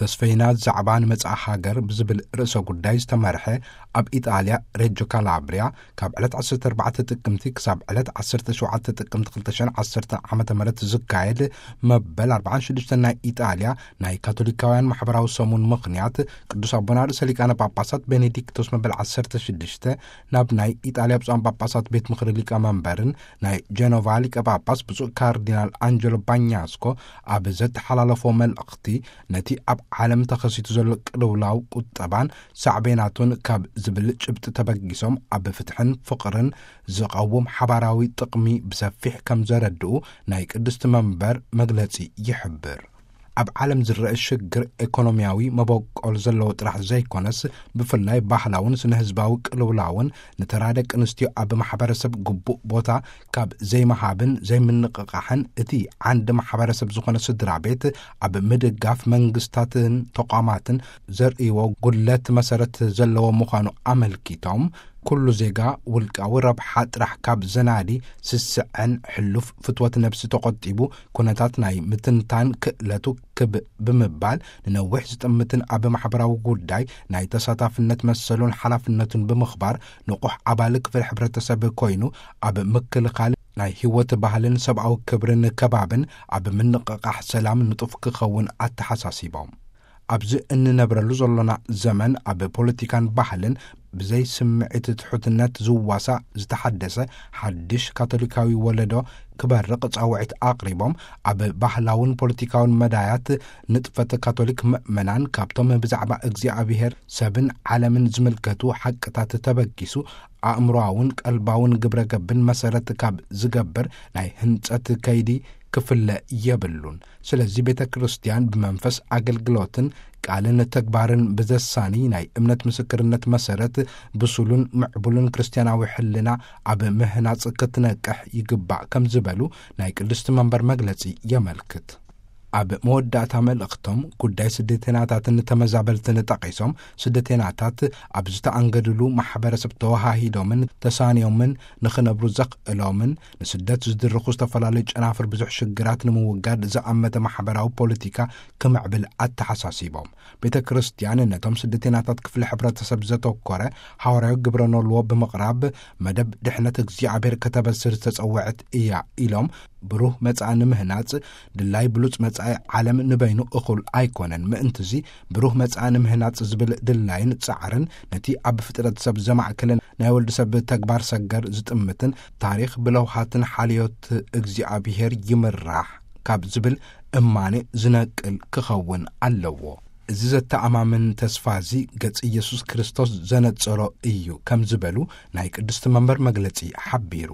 ተስፈይና ዛዕባ ንመጻኢ ሃገር ብዝብል ርእሰ ጉዳይ ዝተመርሐ፣ ኣብ ኢጣልያ ሬጆ ካላብሪያ ካብ ዕለት ዓሰርተ ኣርባዕተ ጥቅምቲ ክሳብ ዕለት ዓሰርተ ሸውዓተ ጥቅምቲ ክልተ ሽሕን ዓሰርተ ዓመተ ምህረት ዝካየድ መበል ኣርባዓን ሽዱሽተን ናይ ኢጣልያ ናይ ካቶሊካውያን ማሕበራዊ ሰሙን ምኽንያት፣ ቅዱስ ኣቦና ርእሰ ሊቃነ ጳጳሳት ቤኔዲክቶስ መበል ዓሰርተ ሽዱሽተ ናብ ናይ ኢጣልያ ብፁዓን ጳጳሳት ቤት ምኽሪ ሊቀ መንበርን ናይ ጀኖቫ ሊቀ ጳጳስ ብፁዕ ካርዲናል ኣንጀሎ ባኛስኮ ኣብ ዘተሓላለፎ መልእኽቲ፣ ነቲ ኣብ ዓለም ተኸሲቱ ዘሎ ቅልውላው ቁጠባን ሳዕቤናቱን ካብ ዝብል ጭብጢ ተበጊሶም፣ ኣብ ፍትሕን ፍቕርን ዝቐውም ሓባራዊ ጥቕሚ ብሰፊሕ ከም ዘረድኡ ናይ ቅድስቲ መንበር መግለጺ ይሕብር። ኣብ ዓለም ዝረአ ሽግር ኤኮኖሚያዊ መበቆል ዘለዎ ጥራሕ ዘይኮነስ፣ ብፍላይ ባህላውን ስነ ህዝባዊ ቅልውላውን ንተራ ደቂ ኣንስትዮ ኣብ ማሕበረሰብ ግቡእ ቦታ ካብ ዘይምሃብን ዘይምንቕቓሕን፣ እቲ ዓንዲ ማሕበረሰብ ዝኾነ ስድራ ቤት ኣብ ምድጋፍ መንግስታትን ተቋማትን ዘርእይዎ ጉድለት መሰረት ዘለዎ ምዃኑ ኣመልኪቶም፣ ኩሉ ዜጋ ውልቃዊ ረብሓ ጥራሕ ካብ ዘናዲ፣ ስስዐን ሕሉፍ ፍትወት ነብሲ ተቖጢቡ፣ ኩነታት ናይ ምትንታን ክእለቱ ክብ ብምባል፣ ንነዊሕ ዝጥምትን ኣብ ማሕበራዊ ጉዳይ ናይ ተሳታፍነት መሰሉን ሓላፍነቱን ብምኽባር፣ ንቑሕ ኣባል ክፍል ሕብረተሰብ ኮይኑ፣ ኣብ ምክልኻል ናይ ህይወት ባህልን ሰብኣዊ ክብርን ከባብን ኣብ ምንቕቓሕ ሰላም ንጡፍ ክኸውን ኣተሓሳሲቦም። ኣብዚ እንነብረሉ ዘሎና ዘመን፣ ኣብ ፖለቲካን ባህልን ብዘይ ስምዒት ትሑትነት ዝዋሳእ ዝተሓደሰ ሓድሽ ካቶሊካዊ ወለዶ ክበርቕ ጻውዒት ኣቕሪቦም፣ ኣብ ባህላውን ፖለቲካውን መዳያት ንጥፈት ካቶሊክ ምእመናን ካብቶም ብዛዕባ እግዚኣብሔር፣ ሰብን ዓለምን ዝምልከቱ ሓቅታት ተበጊሱ፣ ኣእምሮኣውን ቀልባውን ግብረ ገብን መሰረት ካብ ዝገብር ናይ ህንጸት ከይዲ ክፍለ የብሉን። ስለዚ ቤተ ክርስቲያን ብመንፈስ ኣገልግሎትን ቃልን ተግባርን ብዘሳኒ ናይ እምነት ምስክርነት መሰረት ብሱሉን ምዕቡልን ክርስቲያናዊ ሕልና ኣብ ምህናጽ ክትነቅሕ ይግባእ ከም ዝበሉ ናይ ቅድስቲ መንበር መግለጺ የመልክት። ኣብ መወዳእታ መልእኽቶም ጉዳይ ስደተናታትን ተመዛበልትን ጠቒሶም፣ ስደተናታት ኣብ ዝተኣንገድሉ ማሕበረሰብ ተወሃሂዶምን ተሳንዮምን ንኽነብሩ ዘኽእሎምን ንስደት ዝድርኹ ዝተፈላለዩ ጨናፍር ብዙሕ ሽግራት ንምውጋድ ዝኣመተ ማሕበራዊ ፖለቲካ ክምዕብል ኣተሓሳሲቦም። ቤተ ክርስቲያን ነቶም ስደተናታት ክፍሊ ሕብረተሰብ ዘተኮረ ሃዋርያዊ ግብረ ኖልዎ ብምቕራብ፣ መደብ ድሕነት እግዚኣብሔር ከተበስር ዝተጸውዐት እያ ኢሎም፣ ብሩህ መጻኢ ንምህናጽ ድላይ ብሉጽ መጻኢ ዓለም ንበይኑ እኹል ኣይኮነን። ምእንትዚ ብሩህ መጻኢ ንምህናጽ ዝብል ድላይን ጻዕርን ነቲ ኣብ ፍጥረት ሰብ ዘማእከለ ናይ ወልድ ሰብ ተግባር ሰገር ዝጥምትን ታሪኽ ብለውሃትን ሓልዮት እግዚኣብሔር ይምራሕ ካብ ዝብል እማኔ ዝነቅል ክኸውን ኣለዎ። እዚ ዘተኣማምን ተስፋ እዚ ገጽ ኢየሱስ ክርስቶስ ዘነጸሮ እዩ ከም ዝበሉ ናይ ቅድስቲ መንበር መግለጺ ሓቢሩ።